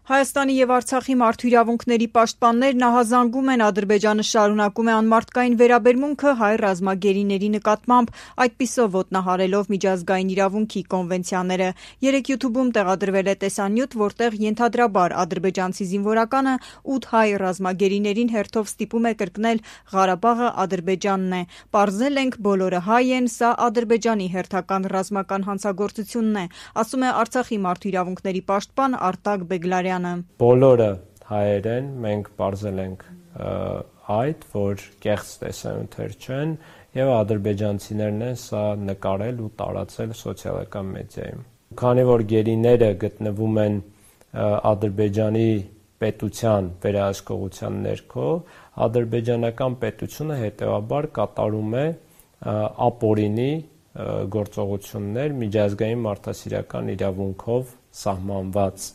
Հայաստանի եւ Արցախի մարդու իրավունքների պաշտպաններն ահազանգում են Ադրբեջանը շարունակում է անմարդկային վերաբերմունքը հայ ռազմագերիների նկատմամբ, այդպիսով ոտնահարելով միջազգային իրավունքի կոնվենցիաները։ Երեկ YouTube-ում տեղադրվել է տեսանյութ, որտեղ ենթադրաբար ադրբեջանցի զինվորականը 8 հայ ռազմագերիներին հերթով ստիպում է կրկնել Ղարաբաղը Ադրբեջանն է։ Պարզել ենք, բոլորը հայ են, սա Ադրբեջանի հերթական ռազմական հանցագործությունն է, ասում է Արցախի մարդու իրավունքների պաշտպան Արտակ Բեգլարյանը։ Բոլորը հայեր են, մենք պարզել ենք այդ, որ կեղծ տեսանյութեր չեն եւ ադրբեջանցիներն են սա նկարել ու տարածել սոցիալական մեդիայում։ Քանի որ գերիները գտնվում են Ադրբեջանի պետության վերահսկողության ներքո, ադրբեջանական պետությունը հետեւաբար կատարում է ապօրինի գործողություններ միջազգային մարդասիրական իրավունքով սահմանված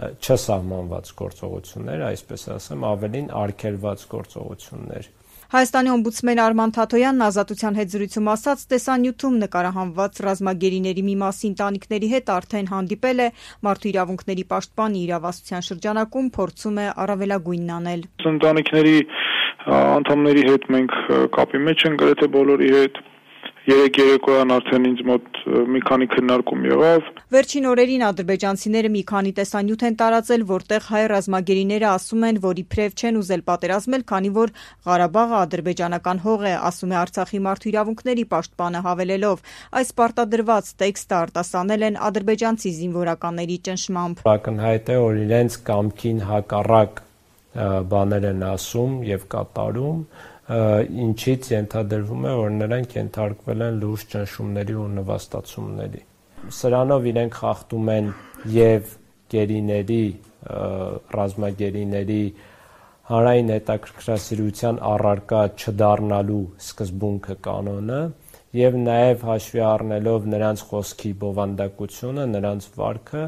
չսահմանված գործողություններ, այսպես ասեմ, ավելին արգելված գործողություններ։ Հայաստանի օմբուդսմեն Արման Թաթոյանն Ազատության հետ զրույցում ասաց, տեսանյութում նկարահանված ռազմագերիների մի մասի ընտանիքների հետ արդեն հանդիպել է, մարդու իրավունքների պաշտպանի իրավասության շրջանակում փորձում է առավելագույնն անել։ Ընտանիքների անդամների հետ մենք կապի մեջ ենք գրեթե բոլորի հետ։ Երեկ երեկոյան արդեն ինձ մոտ մի քանի քննարկում եղավ։ Վերջին օրերին ադրբեջանցիները մի քանի տեսանյութ են տարածել, որտեղ հայ ռազմագերիները ասում են, որ իբրև չեն ուզել պատերազմել, քանի որ Ղարաբաղը ադրբեջանական հող է, ասում է Արցախի մարդու իրավունքների պաշտպանը հավելելով։ Այս պարտադրված տեքստը արտասանել են ադրբեջանցի զինվորականների ճնշմամբ։ Ակնհայտ է, որ իրենց կամքին հակառակ բաներ են ասում եւ կատարում, ինչից ենթադրվում է, որ նրանք ենթարկվել են լուրջ ճնշումների ու նվաստացումների։ Սրանով իրենք խախտում են եւ գերիների, ռազմագերիների հանրային հետաքրքրասիրության առարկա չդառնալու սկզբունքը կանոնը եւ նաեւ հաշվի առնելով նրանց խոսքի բովանդակությունը, նրանց վարքը,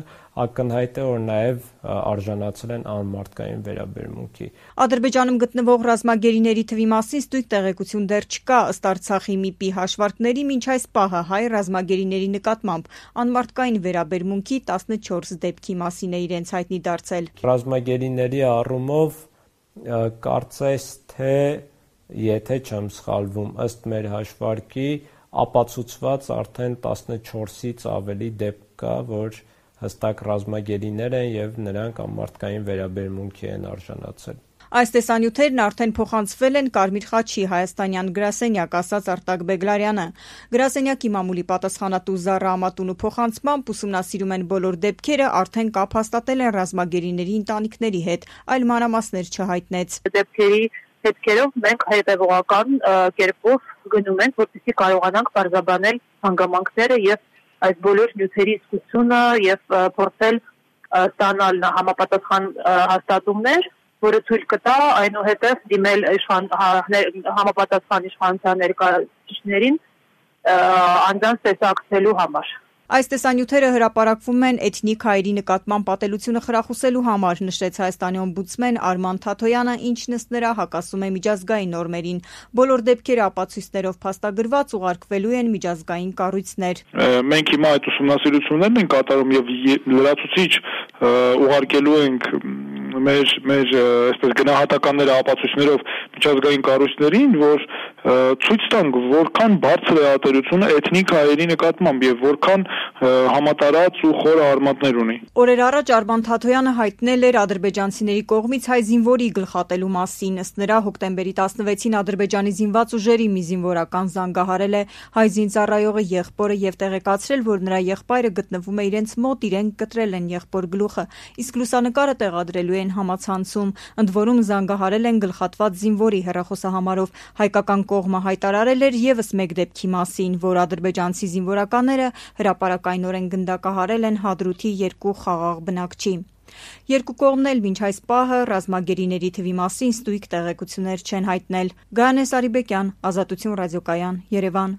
ակնհայտ է, որ նաեւ արժանացել են անմարդկային վերաբերմունքի։ Ադրբեջանում գտնվող ռազմագերիների թվի մասին ստույգ տեղեկություն դեռ չկա, ըստ Արցախի ՄԻՊ-ի հաշվարկների մինչ այս պահը հայ ռազմագերիների նկատմամբ անմարդկային վերաբերմունքի 14 դեպքի մասին է իրենց հայտնի դարձել։ Ռազմագերիների առումով կարծես թե եթե չեմ սխալվում, ըստ մեր հաշվարկի ապացուցված արդեն 14-ից ավելի դեպք կա, որ հստակ ռազմագերիներ են եւ նրանք անմարդկային վերաբերմունքի են արժանացել։ Այս տեսանյութերն արդեն փոխանցվել են Կարմիր խաչի հայաստանյան գրասենյակ, ասաց Արտակ Բեգլարյանը։ Գրասենյակի մամուլի պատասխանատու Զառա Ամատունու փոխանցմամբ ուսումնասիրում են բոլոր դեպքերը, արդեն կապ հաստատել են ռազմագերիների ընտանիքների հետ, այլ մանրամասներ չհայտնեց։ Դեպքերի հետքերով մենք հետևողական կերպով գնում ենք, որպեսզի կարողանանք բարձրաբանել հանգամանքները եւ այս բոլոր նյութերի իսկությունը եւ փորձել ստանալ համապատասխան հաստատումներ, որը թույլ կտա այնուհետև դիմել համապատասխան իշխանության ներկայացուցիչներին անձանց տեսակցելու համար։ Այս տեսանյութերը հրապարակվում են էթնիկ հայերի նկատմամբ պատելությունը խրախուսելու համար, նշեց Հայաստանի օմբուդսմեն Արման Թաթոյանը, ինչն ըստ նրա հակասում է միջազգային նորմերին։ Բոլոր դեպքերը ապացույցներով փաստագրված ուղարկվելու են միջազգային կառույցներ։ Մենք հիմա այդ ուսումնասիրություններն ենք կատարում եւ լրացուցիչ ուղարկելու ենք մեր այսպես գնահատականները ապացույցներով միջազգային կառույցներին, որ ցույց տան, որքան բարձր է ատելությունը էթնիկ հայերի նկատմամբ եւ որքան համատարած ու խորը արմատներ ունի։ Օրեր առաջ Արման Թաթոյանը հայտնել էր ադրբեջանցիների կողմից հայ զինվորի գլխատելու մասին։ Ըստ նրա հոկտեմբերի 16-ին Ադրբեջանի զինված ուժերի մի զինվորական զանգահարել է հայ զինծառայողը եղբորը եւ տեղեկացրել, որ նրա եղբայրը գտնվում է իրենց մոտ, իրենք կտրել են եղբոր գլուխը, իսկ լուսանկարը տեղադրելու են համացանցում։ Ընդ որում զանգահարել են գլխատված զինվորի հեռախոսահամարով։ Հայկական կողմը հայտարարել էր եւս մեկ դեպքի մասին, որ ադրբեջանցի զինվորականները հրապարակայնորեն գնդակահարել են Հադրութի 2 խաղաղ բնակչի։ Երկու կողմն էլ մինչ այս պահը ռազմագերիների թվի մասին ստույգ տեղեկություններ չեն հայտնել։ Գայանե Սարիբեկյան, Ազատություն ռադիոկայան, Երևան։